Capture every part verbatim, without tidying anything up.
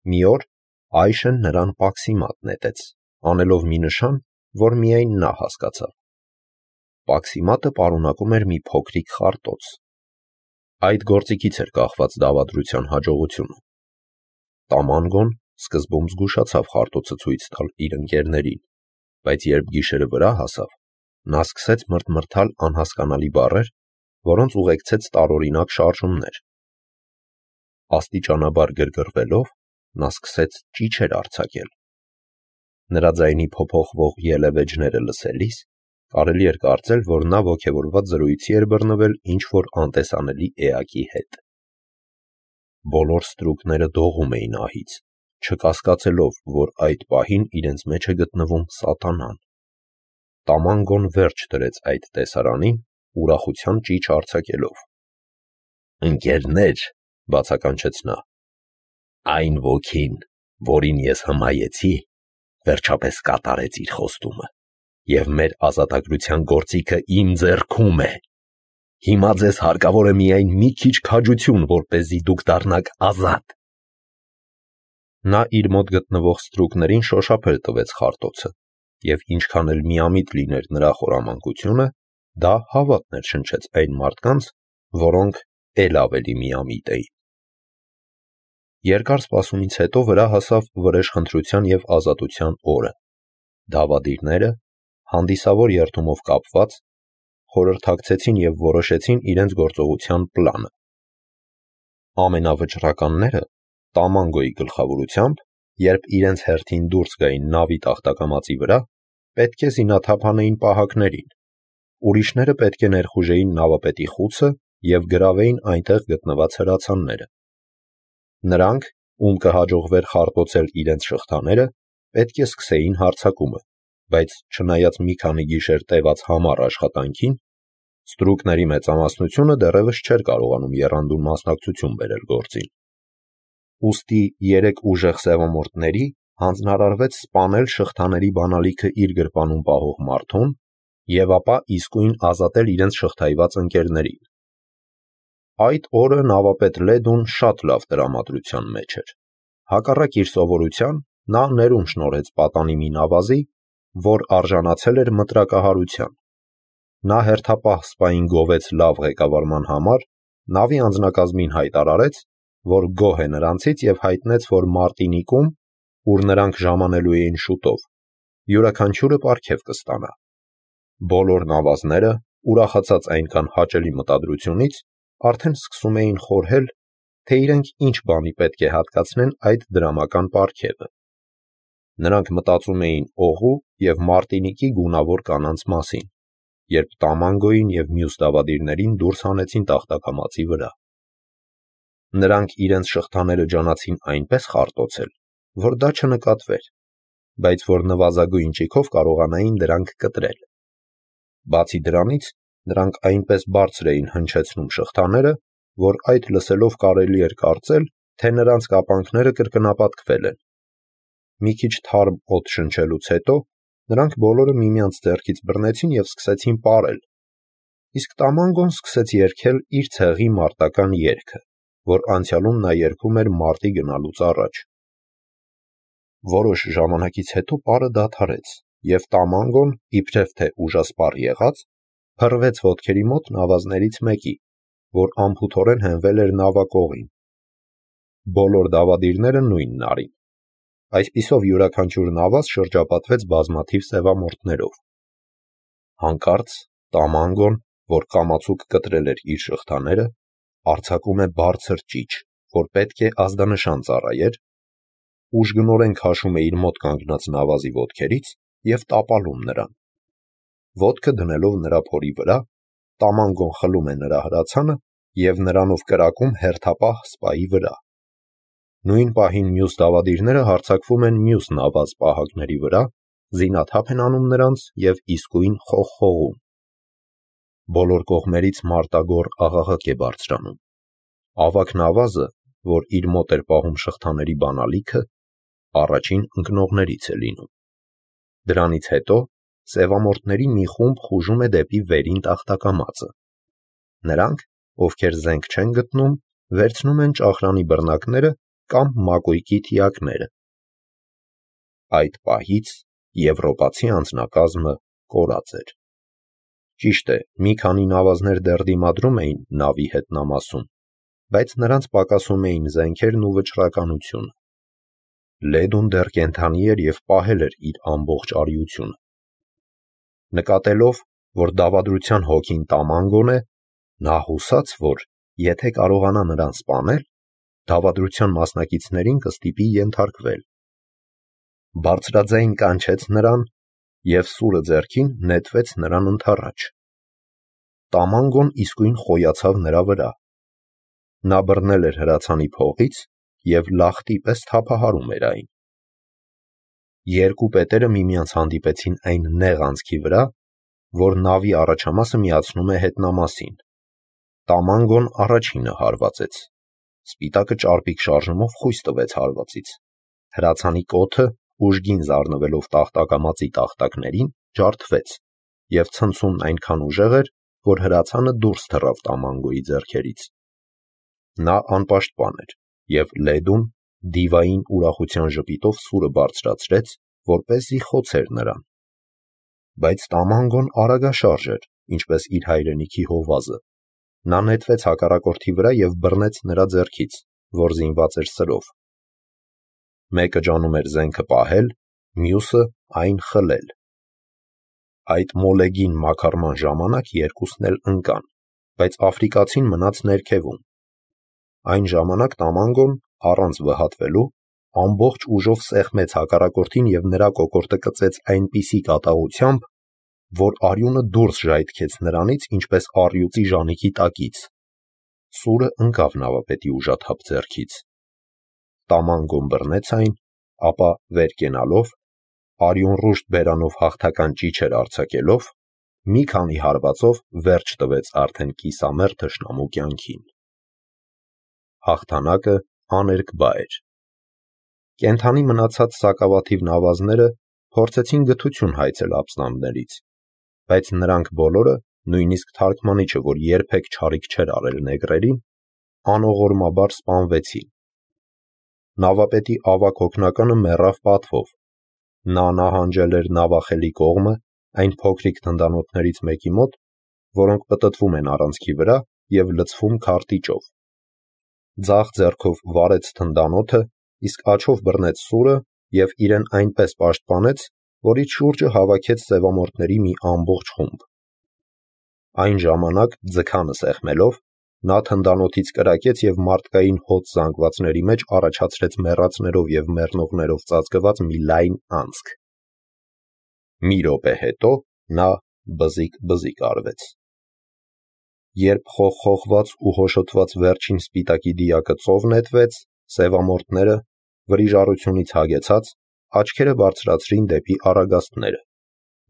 Մի օր Այշեն նրան պաքսիմատ նետեց, անելով մի նշան, որ միայն նա հասկացավ։ Պաքսիմատը պարունակում էր մի փոքրիկ խարտոց։ Այդ գործիքից էր կախված դավադրության հաջողությունը։ Տամանգոն սկզբում զգուշացավ խարտոցը ցույց տալ իր ընկերներին, բայց երբ գիշերը վրա հասավ, նա սկսեց մրթմրթալ անհասկանալի բառեր, որոնց ուղեկցեց տարօրինակ շարժումներ։ Աստիճանաբար գրգռվելով, նա սկսեց ճիչեր արձակել։ Նրա ձայնի փոփոխվող ելևէջները լսելիս կարելի էր կարծել, որ նա ոգևորված զրույցի էր բռնվել ինչ-որ անտեսանելի էակի հետ։ Բոլոր ստրուկները դողում էին ահից, չկասկածելով, որ այդ պահին իրենց մեջ է գտնվում սատանան։ Տամանգոն վերջ դրեց այդ տեսարանին, ուրախության ճիչ արձակելով։ «Ընկերներ», բացականչեց նա, «այն ոգին, որին ես հմայեցի, վերջապես կատարեց իր խոստումը, և մեր ազատագրության գործիքը իմ ձեռքում է։ Հիմա ձեզ հարկավոր է միայն մի քիչ քաջություն, որպեսզի դուք դառնաք ազատ»։ Նա իր մոտ գտնվող ստրուկներին շոշափել տվեց խարտոցը, և ինչքան էլ միամիտ լիներ նրա խորամանկությունը, դա հավատ ներշնչեց այն մարդկանց, որոնք էլ ավելի միամիտ էին։ Երկար սպասումից հետո վրա հասավ վրեժխնդրության և ազատության օրը։ Դավադիրները, հանդիսավոր երդումով կապված, խորհրդակցեցին և որոշեցին իրենց գործողության պլանը։ Ամենավճռականները Տամանգոյի գլխավորությամբ, երբ իրենց հերթին դուրս գային նավի տախտակամածի վրա, պետք է զինաթափ անեին պահակներին, ուրիշները պետք է ներխուժեին նավապետի խուցը և գրավեին այնտեղ գտնված հրացանները։ Նրանք, ում կհաջողվեր խարտոցել իրենց շղթաները, պետք է սկսեին հարձակումը, բայց չնայած մի քանի գիշեր տևած համառ աշխատանքին, ստրուկների մեծամասնությունը դեռևս չէր կարողանում եռանդուն մասնակցություն բերել գործին։ Ուստի երեք ուժեղ սևամորթների հանձնարարվեց սպանել շղթաների բանալիքը իր գրպանում պահող մարդուն և ապա իսկույն ազատել իրենց շղթայված ընկերներին։ Այդ օրը նավապետ Լեդուն շատ լավ տրամադրության մեջ էր։ Հակառակ իր սովորության, նա ներում շնորհեց պատանի մի նավազի, որ արժանացել էր մտրակահարության։ Նա հերթապահ սպային գովեց լավ ղեկավարման համար, նավի անձնակազմին հայտարարեց, որ գոհ է նրանցից և հայտնեց, որ Մարտինիկում, ուր նրանք ժամանելու էին շուտով, յուրաքանչյուրը պարգև կստանա։ Բոլոր նավազները, ուրախացած այնքան հաճելի մտադրությունից, արդեն սկսում էին խորհել, թե իրենք ինչ բանի պետք է հատկացնեն այդ դրամական պարգևը։ Նրանք մտածում էին օղու և Մարտինիկի գունավոր կանանց մասին, երբ Տամանգոյին և մյուս դավադիրներին դուրս հանեցին տախտակամածի վրա։ Նրանք իրենց շղթաները ջանացին այնպես խարտոցել, որ դա չնկատվեր, բայց որ նվազագույն ճիգով կարողանային դրանք կտրել։ Բացի դրանից, նրանք այնպես բարձր էին հնչեցնում շղթաները, որ այդ լսելով կարելի էր կարծել, թե նրանց կապանքները կրկնապատկվել են։ Մի քիչ թարմ օդ շնչելուց հետո նրանք բոլորը միմյանց ձեռքից բռնեցին և սկսեցին պարել, իսկ Տամանգոն սկսեց երգել իր ցեղի մարտական երգը, որ անցյալում նա երգում էր մարտի գնալուց առաջ։ Որոշ ժամանակից հետո պարը դադարեց, և Տամանգոն, իբրև թե ուժասպառ եղած, փռվեց ոտքերի մոտ նավազներից մեկի, որ անփութորեն հենվել էր նավակողին։ Բոլոր դավադիրները նույնն արին։ Այսպիսով յուրաքանչյուր նավազ շրջապատվեց բազմաթիվ սևամորթներով։ Հանկարծ Տամանգոն, որ կամացուկ կտրել էր իր շղթաները, արձակում է բարձր ճիչ, որ պետք է ազդանշան ծառայեր, ուժգնորեն քաշում է իր մոտ կանգնած նավազի ոտքերից և տապալում նրան։ Ոտքը դնելով նրա փորի վրա, Տամանգոն խլում է նրա հրացանը և նրանով կրակում հերթապահ սպայի վրա։ Նույն պահին մյուս դավադիրները հարձակվում են մյուս նավազ պահակների վրա, զինաթափ են անում նրանց և իսկույն խողխողում։ Բոլոր կողմերից մարտագոռ աղաղակ է բարձրանում։ Ավագ նավազը, որ իր մոտ էր պահում շղթաների բանալիքը, առաջին ընկնողներից է լինում։ Դրանից հետո սևամորթների մի խումբ խուժում է դեպի վերին տախտակամածը։ Նրանք, ովքեր զենք չեն գտնում, վերցնում են ճախրանի բռնակները կամ մակույկի թիակները։ Այդ պահից եվրոպացի անձնակազմը կորած էր։ Ճիշտ է, մի քանի նավազներ դեռ դիմադրում էին նավի հետնամասում, բայց նրանց պակասում էին զենքերն ու վճռականությունը։ Լեդուն դեռ կենդանի էր և պահել էր իր ամբողջ արիությունը։ Նկատելով, որ դավադրության հոգին Տամանգոն է, նա հուսաց, որ եթե կարողանա նրան սպանել, դավադրության մասնակիցներին կստիպի ենթարկվել։ Բարձրաձայն կանչեց նրան և սուրը ձեռքին նետվեց նրան ընդառաջ։ Տամանգոն իսկույն խոյացավ նրա վրա։ Նա բռնել էր հրացանի փողից և լախտի պես թափահարում էր այն։ Երկու պետերը միմյանց հանդիպեցին այն նեղ անցքի վրա, որ նավի առաջամասը միացնում է հետնամասին։ Տամանգոն առաջինը հարվածեց։ Սպիտակը ճարպիկ շարժումով խույս տվեց հարվածից։ Հրացանի կոթը, ուժգին զարնվելով տախտակամածի տախտակներին, ջարդվեց, և ցնցումն այնքան ուժեղ էր, որ հրացանը դուրս թռավ Տամանգոյի ձեռքերից։ Նա անպաշտպան էր, և Լեդուն դիվային ուրախության ժպիտով սուրը բարձրացրեց, որպեսզի խոցեր նրան։ Բայց Տամանգոն արագաշարժ էր, ինչպես իր հայրենիքի հովազը։ Նա նետվեց հակառակորդի վրա և բռնեց նրա ձեռքից, որ զինված էր սրով։ Մեկը ջանում էր զենքը պահել, մյուսը այն խլել։ Այդ մոլեգին մաքարման ժամանակ երկուսն էլ ընկան, բայց աֆրիկացին մնաց ներքևում։ Այն ժամանակ Տամանգոն, առանց վհատվելու, ամբողջ ուժով սեղմեց հակառակորդին և նրա կոկորդը կծեց այնպիսի կատաղությամբ, որ արյունը դուրս ժայթքեց նրանից, ինչպես առյուծի ժանիքի տակից։ Սուրը ընկավ նավապետի ուժաթափ ձեռքից։ Տամանգոն բռնեց այն, ապա վեր կենալով, արյունռուշտ բերանով հաղթական ճիչեր արձակելով, մի քանի հարվածով վերջ տվեց արդեն կիսամեռ թշնամու կյանքին։ Հաղթանակը աներկբա էր։ Կենդանի մնացած սակավաթիվ նավազները փորձեցին գթություն հայցել ապստամբներից, բայց նրանք բոլորը, նույնիսկ թարգմանիչը, որ երբեք չարիք չէր արել նեգրերին, անողորմաբար սպանվեցին։ Նավապետի ավագ հոգնականը մեռավ պատվով։ Նա նահանջել էր նավախելի կողմը, այն փոքրիկ թնդանոթներից մեկի մոտ, որոնք պտտվում են առանցքի վրա և լցվում քարտիճով։ Ձախ ձեռքով վարեց թնդանոթը, իսկ աջով բռնեց սուրը և իրեն այնպես պաշտպանեց, որ իր շուրջը հավաքեց սևամորթների մի ամբողջ խումբ։ Այն ժամանակ, ձգանը սեղմելով, նա թնդանոթից կրակեց և մարդկային հոծ զանգվածների մեջ առաջացրեց մեռածներով և մեռնողներով ծածկված մի լայն անցք։ Մի րոպե հետո նա բզիկ-բզիկ արվեց։ Երբ խողխողված ու հոշոտված վերջին սպիտակի դիակը ծով նետվեց, սևամորթները, վրիժառությունից հագեցած, աչքերը բարձրացրին դեպի առագաստները,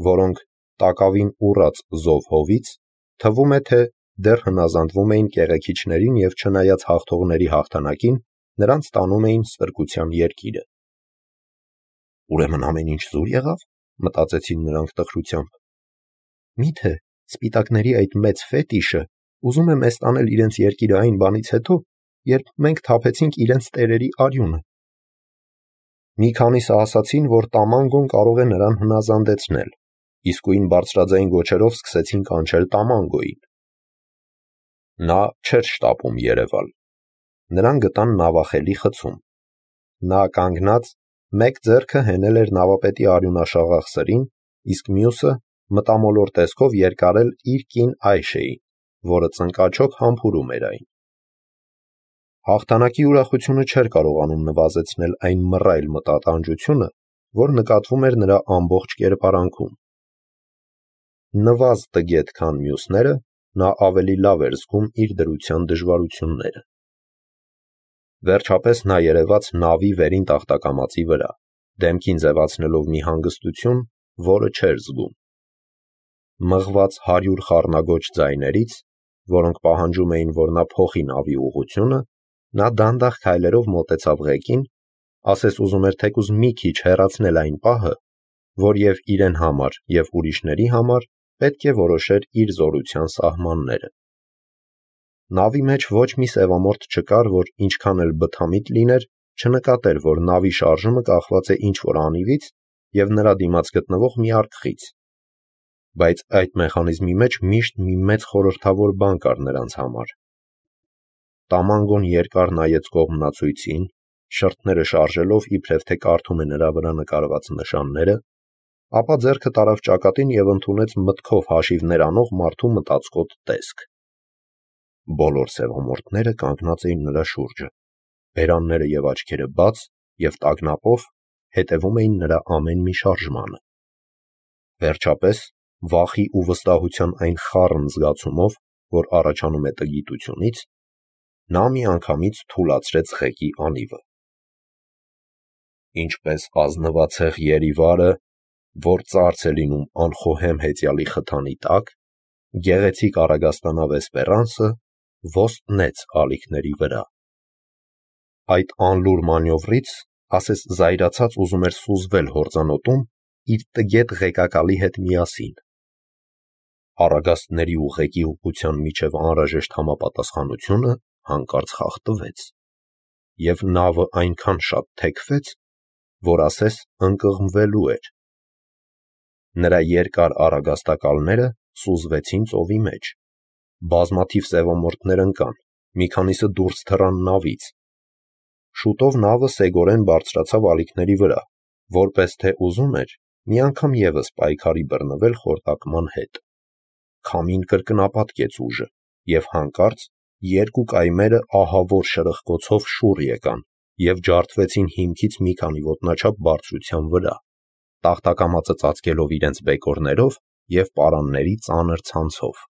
որոնք, տակավին ուռած զով հովից, թվում է, թե դեռ հնազանդվում էին կեղեքիչներին և չնայած հաղթողների հաղթանակին, նրանց տանում էին ստրկության երկիրը։ «Ուրեմն ամեն ինչ զուր եղավ», մտածեցին նրանք տխրությամբ։ «Մի՞թե սպիտակների այդ մեծ ֆետիշը ուզում է մեզ տանել իրենց երկիրը այն բանից հետո, երբ մենք թափեցինք իրենց տերերի արյունը»։ Մի քանիսը ասացին, որ Տամանգոն կարող է նրան հնազանդեցնել, իսկույն բարձրաձայն գոչերով սկսեցին կանչել Տամանգոյին։ Նա չէր շտապում երևալ։ Նրան գտան նավախելի խցում։ Նա կանգնած, մեկ ձեռքը հենել էր նավապետի արյունաշաղախ սրին, իսկ մյուսը մտամոլոր տեսքով երկարել իր կին Այշեին, որը ծնկաչոք համբուրում էր այն։ Հաղթանակի ուրախությունը չէր կարողանում նվազեցնել այն մռայլ մտատանջությունը, որ նկատվում էր նրա ամբողջ կերպարանքում։ Նվազ տգետ, քան մյուսները, նա ավելի լավ էր զգում իր դրության դժվարությունները։ Վերջապես նա երևաց նավի վերին տախտակամածի վրա, դեմքին ձևացնելով մի հանգստություն, որը չէր զգում։ Մղված հարյուր խառնագոչ ձայներից, որոնք պահանջում էին, որ նա փոխի նավի ուղղությունը, նա դանդաղ քայլերով մոտեցավ ղեկին, ասես ուզում էր թեկուզ մի քիչ հեռացնել այն պահը, որ և իրեն համար, և ուրիշների համար պետք է որոշեր իր զորության սահմանները։ Նավի մեջ ոչ մի սևամորթ չկար, որ ինչքան էլ բթամիտ լիներ, չնկատեր, որ նավի շարժումը կախված է ինչ-որ անիվից և նրա դիմաց գտնվող մի արկղից, բայց այդ մեխանիզմի մեջ միշտ մի մեծ խորհրդավոր բան կար նրանց համար։ Տամանգոն երկար նայեց կողմնացույցին, շրթները շարժելով իբրև թե կարդում է նրա վրա նկարված նշանները, ապա ձեռքը տարավ ճակատին և ընդունեց մտքով հաշիվներ անող մարդու մտածկոտ տեսք։ Բոլոր սևամորթները կանգնած էին նրա շուրջը, բերանները և աչքերը բաց և տագնապով հետևում էին նրա ամեն մի շարժմանը։ Վերջապես, վախի ու վստահության այն խառն զգացումով, որ առաջանում է տգիտությունից, նա միանգամից թուլացրեց ղեկի անիվը։ Ինչպես ազնվացեղ երիվարը, որ ծարծ է լինում անխոհեմ հեծյալի խթանի տակ, գեղեցիկ առագաստանավ Էսպերանսը ոստնեց ալիքների վրա։ Այդ անլուր մանյովրից ասես զայրացած ուզում էր սուզվել հորձանոտում իր տգետ ղեկակալի հետ միասին։ Առագաստների ու ղեկի հուկության միջև անհրաժեշտ համապատասխանությունը հանկարծ խախտվեց, և նավը այնքան շատ թեքվեց, որ ասես ընկղմվելու էր։ Նրա երկար առագաստակալները սուզվեցին ծովի մեջ, բազմաթիվ սևամորթներ ընկան, մի քանիսը դուրս թռան նավից։ Շուտով նավը սեգորեն բարձրացավ ալիքների վրա, որպես թե ուզում էր մի անգամ ևս պայքարի բռնվել խորտակման հետ։ Քամին կրկնապատկեց ուժը, և հանկարծ երկու կայմերը ահավոր շրխկոցով շուռ եկան և ջարդվեցին հիմքից մի քանի ոտնաչափ բարձրության վրա, տախտակամածը ծածկելով իրենց բեկորներով և պարանների ծանր ցանցով։